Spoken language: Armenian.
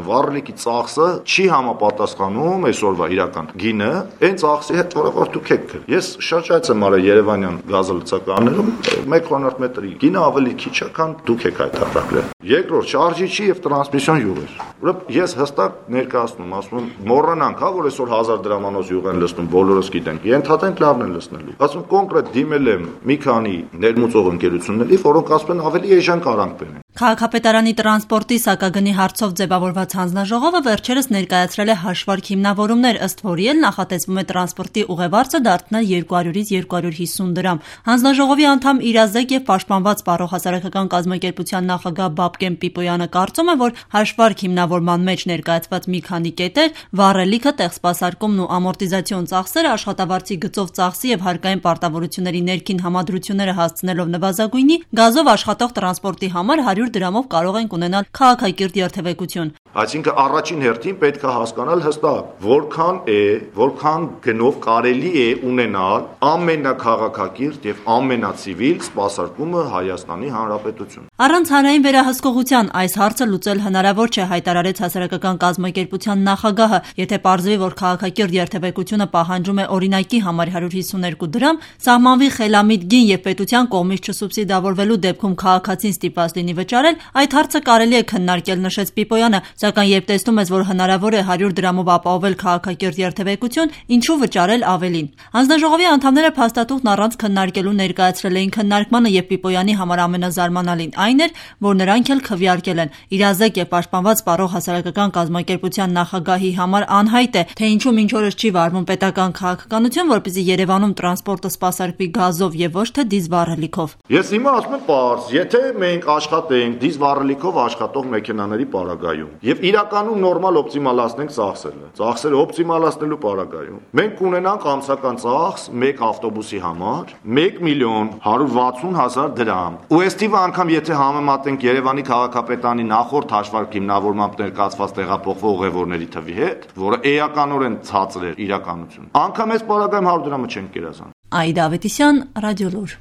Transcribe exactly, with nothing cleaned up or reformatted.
Վառելիքի ծախսը չի համապատասխանում այսօրվա իրական գինը այն ծախսի հետ, որը որ դուք եք գրել։ Ես շրջայց եմ արել Երևանյան գազալցականներում, մեկ քվերանտ մետրի գինը ավելի քիչ է, քան դուք եք հայտարարել։ Երկրորդ շարժիչի եւ տրանսմիսիոն յուղեր։ Ուրեմն ես հստակ ներկայացնում, ասում եմ, մոռանանք, հա, որ այսօր հազար դրամանոց յուղ են լցնում, բոլորս գիտենք։ Ենթադրենք լավն են լցնելու։ Ասում կոնկրետ դիմել եմ մի քանի ներմուծող ընկերությունների, որոնք ասում են ավելի էժան կարանք բերեն։ Քաղաքապետարանի տրանսպորտի սակագնի հարցով ձևավորված հանձնաժողովը վերջերս ներկայացրել է հաշվարկ հիմնավորումներ, ըստ որի էլ նախատեսվում է տրանսպորտի ուղևարձը դարձնել երկու հարյուրից երկու հարյուր հիսուն դրամ։ Հանձնաժողովի անդամ Իրազեկ եւ պաշտպանված Պարող հասարակական կազմակերպության նախագահ Բաբկեն Պիպոյանը կարծում է, որ հաշվարկ հիմնավորման մեջ ներկայացված մի քանի կետեր՝ վառելիքը, տեղսպասարկումն ու ամորտիզացիոն ծախսերը, աշխատավարձի գծով ծախսի եւ հարկային պարտավորությունների ներքին համադրությունները հասցնելով նվազագույնի, գազով աշխատող տրանսպորտի համար հարյուր դրամով կարող ենք ունենալ քաղաքակիրթ երթևեկություն։ Այսինքն առաջին հերթին պետք է հասկանալ հստակ, որքան է, որքան գնով կարելի է ունենալ ամենաքաղաքակիրթ եւ ամենացիվիլ սպասարկումը Հայաստանի Հանրապետություն։ Առանց հանրային վերահսկողության այս հարցը լուծել հնարավոր չէ, հայտարարեց հասարակական կազմակերպության նախագահը։ Եթե պարզվի, որ քաղաքակիրթ երթևեկությունը պահանջում է օրինակի համար հարյուր հիսուն երկու դրամ, սահմանվի խելամիտ գին եւ պետության կողմից չսուբսիդավորվելու դեպքում քաղաքացին ստիպված լինի վճարել, այդ հարցը կարելի է քննարկել, նշեց Պիպոյանը, սակայն երբ տեսնում ես, որ հնարավոր է հարյուր դրամով ապահովել քաղաքակիրթ երթևեկություն, ինչու վճարել ավելին։ Հանձնաժողովի անդամները փաստաթուղթն առանց քննարկելու ներկայացրել էին քննարկմանը եւ Պիպոյանի համար ամենազարմանալին այն էր, որ նրանք էլ քվեարկել են։ Իրազեկ եւ պաշտպանված Պարող հասարակական կազմակերպության նախագահի համար անհայտ է, թե ինչու մինչ օրս չի վարվում պետական քաղաքականություն, որպեսզի Երևանում տրանսպորտը սպասարկվի գազով եւ ոչ թե դիզվառելիքով։ Ես հիմա ասում եմ պարզ, եթե մենք աշխատենք դիզվառելիքով աշխատող մեքենաների պարագայում եւ իրականում նորմալ օպտիմալացնենք ծախսերը, ծախսերը օպտիմալացնելու պարագայում, մենք կունենանք ամսական ծախս մեկ ավտոբուսի համար մեկ միլիոն հարյուր վաթսուն հազար դրամ։ Ու այս թիվը անգամ եթե համեմատենք Երևանի քաղաքապետարանի նախորդ հաշվարկ հիմնավորմամբ ներկայացված տեղափոխվող ուղևորների թվի հետ, որը էականորեն ցածր էր իրականություն, անգամ այս պարագայում հարյուր դրամը չենք կերազան։ Այդա Ավետիսյան, Ռադիոլուր։